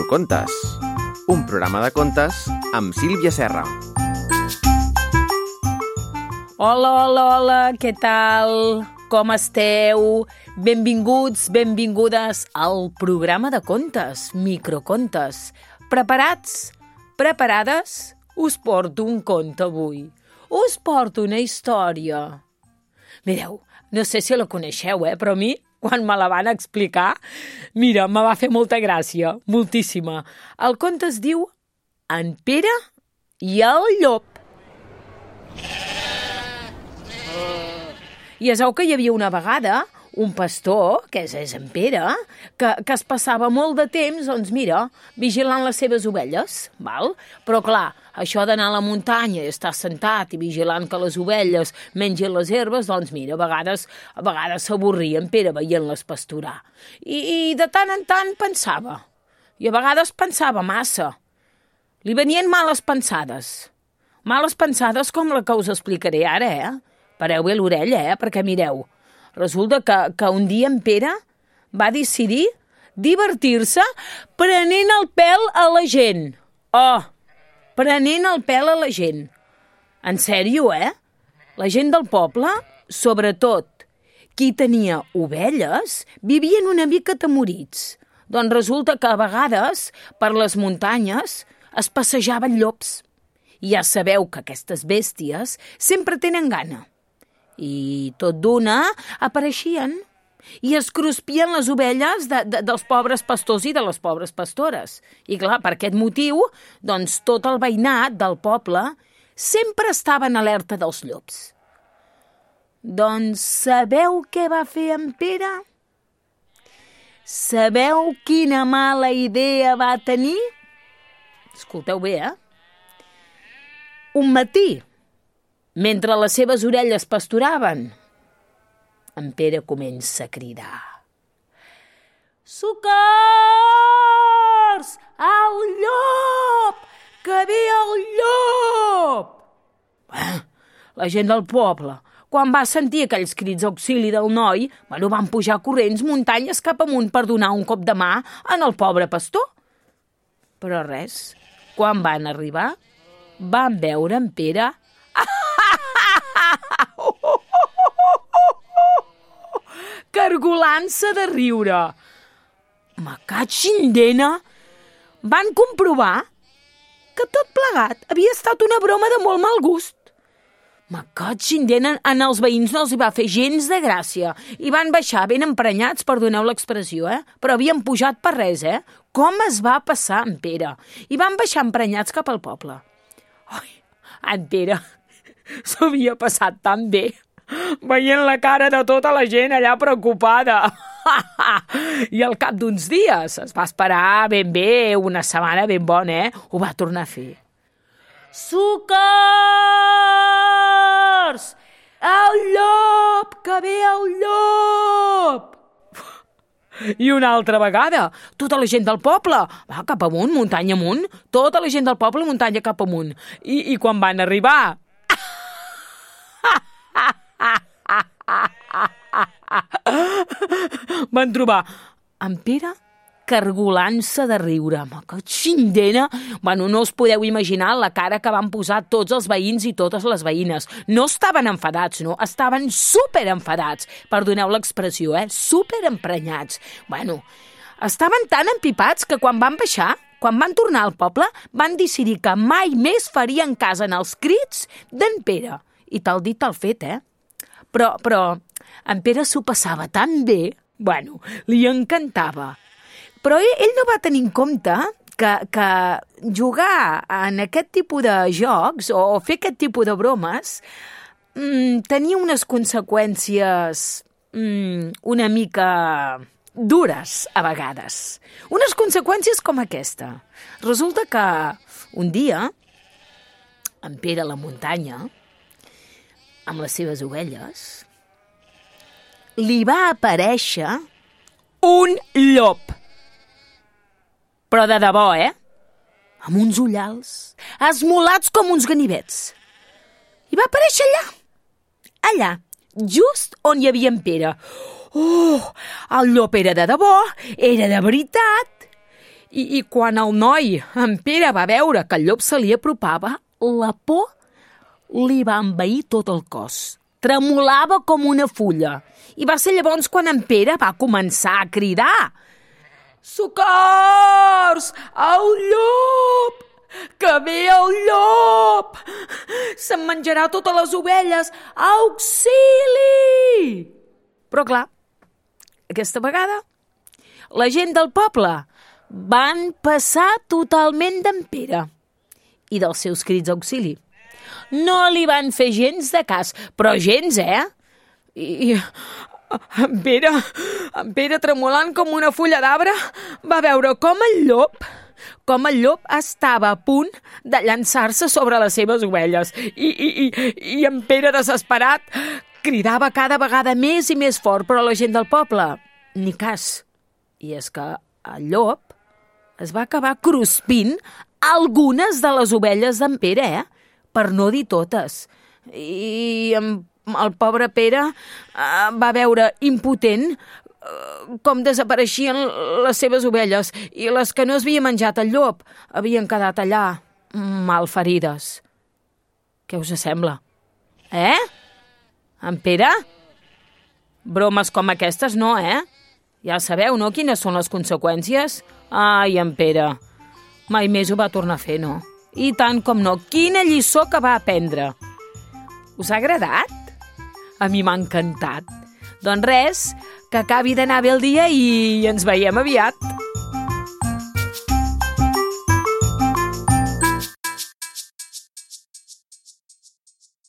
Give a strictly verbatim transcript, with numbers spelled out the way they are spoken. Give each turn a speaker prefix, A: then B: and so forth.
A: Microcontes, un programa de contes amb Sílvia Serra.
B: Hola, hola, hola, què tal? Com esteu? Benvinguts, benvingudes al programa de contes, Microcontes. Preparats? Preparades? Us porto un conte avui. Us porto una història. Mireu, no sé si la coneixeu, eh? Però a mi, quan me la van explicar, mira, me va fer molta gràcia, moltíssima. El conte es diu En Pere i el llop. I es veu que hi havia una vegada un pastor, que és, és en Pere, que, que es passava molt de temps, doncs mira, vigilant les seves ovelles, val? Però clar, això d'anar a la muntanya i estar sentat i vigilant que les ovelles mengin les herbes, doncs mira, a vegades a vegades s'avorria en Pere veient-les pasturar. I, I de tant en tant pensava, i a vegades pensava massa. Li venien males pensades, males pensades com la que us explicaré ara, eh? Pareu bé l'orella, eh? Perquè mireu, resulta que, que un dia en Pere va decidir divertir-se prenent el pèl a la gent. Oh, prenent el pèl a la gent. En sèrio, eh? La gent del poble, sobretot qui tenia ovelles, vivien una mica atemorits. Doncs resulta que a vegades, per les muntanyes, es passejaven llops. I ja sabeu que aquestes bèsties sempre tenen gana. I tot d'una apareixien i es cruspien les ovelles de, de, dels pobres pastors i de les pobres pastores. I clar, per aquest motiu, doncs tot el veïnat del poble sempre estava en alerta dels llops. Doncs sabeu què va fer en Pere? Sabeu quina mala idea va tenir? Escolteu bé, eh? Un matí, mentre les seves orelles pasturaven, en Pere comença a cridar. Socors! El llop! Que ve el llop! Eh, la gent del poble, quan va sentir aquells crits d'auxili del noi, bueno, van pujar corrents muntanyes cap amunt per donar un cop de mà en el pobre pastor. Però res, quan van arribar, van veure en Pere cargolant-se de riure. Me catxin dena! Van comprovar que tot plegat havia estat una broma de molt mal gust. Me catxin dena, en els veïns no els hi va fer gens de gràcia i van baixar ben emprenyats, perdoneu l'expressió, eh? Però havien pujat per res, eh? Com es va passar en Pere? I van baixar emprenyats cap al poble. Ai, en Pere s'ho havia passat tan bé, veient la cara de tota la gent allà preocupada. I al cap d'uns dies, es va esperar ben bé, una setmana ben bona, eh? Ho va tornar a fer. Socors! El llop! Que ve el llop! I una altra vegada, tota la gent del poble, va cap amunt, muntanya amunt, tota la gent del poble, muntanya cap amunt. I, i quan van arribar, van trobar en Pere cargolant-se de riure. Que xindena! Bueno, no us podeu imaginar la cara que van posar tots els veïns i totes les veïnes. No estaven enfadats, no? Estaven superenfadats. Perdoneu l'expressió, eh? Superemprenyats. Bueno, estaven tan empipats que quan van baixar, quan van tornar al poble, van decidir que mai més farien cas en els crits d'en Pere. I tal dit, tal fet, eh? Però, però, en Pere s'ho passava tan bé, bueno, li encantava. Però ell, ell no va tenir en compte que, que jugar en aquest tipus de jocs o fer aquest tipus de bromes mmm, tenia unes conseqüències mmm, una mica dures a vegades. Unes conseqüències com aquesta. Resulta que un dia, en Pere a la muntanya, amb les seves ovelles, li va aparèixer un llop. Però de debò, eh? Amb uns ullals, esmolats com uns ganivets. I va aparèixer allà, allà, just on hi havia en Pere. Oh, el llop era de debò, era de veritat. I, I quan el noi, en Pere, va veure que el llop se li apropava, la por li va envair tot el cos. Tremolava com una fulla. I va ser llavors quan en Pere va començar a cridar: «Socors! El llop! Que ve el llop! Se'm menjarà totes les ovelles! Auxili!» Però clar, aquesta vegada la gent del poble van passar totalment d'en Pere i dels seus crits d'auxili. No li van fer gens de cas, però gens, eh? I en Pere, en Pere, tremolant com una fulla d'arbre, va veure com el llop, com el llop estava a punt de llançar-se sobre les seves ovelles. I, i, i, i en Pere, desesperat, cridava cada vegada més i més fort, però la gent del poble, ni cas. I és que el llop es va acabar cruspint algunes de les ovelles d'en Pere, eh? Per no dir totes. I en el pobre Pere eh, va veure impotent eh, com desapareixien les seves ovelles i les que no es havia menjat el llop havien quedat allà, malferides. Què us sembla? Eh? En Pere? Bromes com aquestes no, eh? Ja sabeu, no?, quines són les conseqüències? Ai, en Pere, mai més ho va tornar a fer, no? I tant com no, quina lliçó que va aprendre. Us ha agradat? A mi m'ha encantat. Doncs res, que acabi d'anar bé el dia i ens veiem aviat.